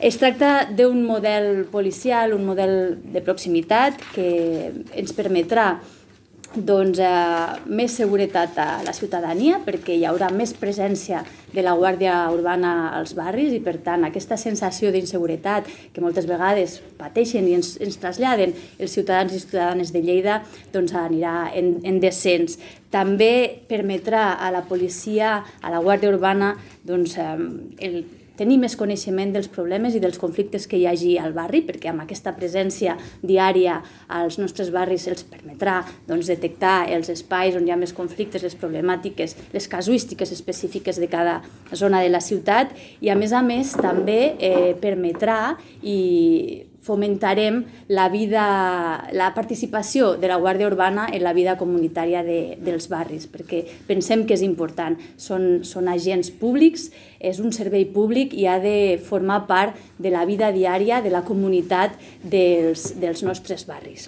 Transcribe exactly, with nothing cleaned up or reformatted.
Es tracta d'un model policial, un model de proximitat que ens permetrà doncs, eh, més seguretat a la ciutadania perquè hi haurà més presència de la Guàrdia Urbana als barris i per tant aquesta sensació d'inseguretat que moltes vegades pateixen i ens, ens traslladen els ciutadans i ciutadanes de Lleida doncs anirà en, en descens. També permetrà a la policia, a la Guàrdia Urbana doncs, eh, el tenir més coneixement dels problemes i dels conflictes que hi hagi al barri, perquè amb aquesta presència diària als nostres barris els permetrà doncs, detectar els espais on hi ha més conflictes, les problemàtiques, les casuístiques específiques de cada zona de la ciutat i, a més a més, també eh, permetrà i fomentarem la vida, la participació de la Guàrdia Urbana en la vida comunitària de, dels barris, perquè pensem que és important. Són, són agents públics, és un servei públic i ha de formar part de la vida diària de la comunitat dels, dels nostres barris.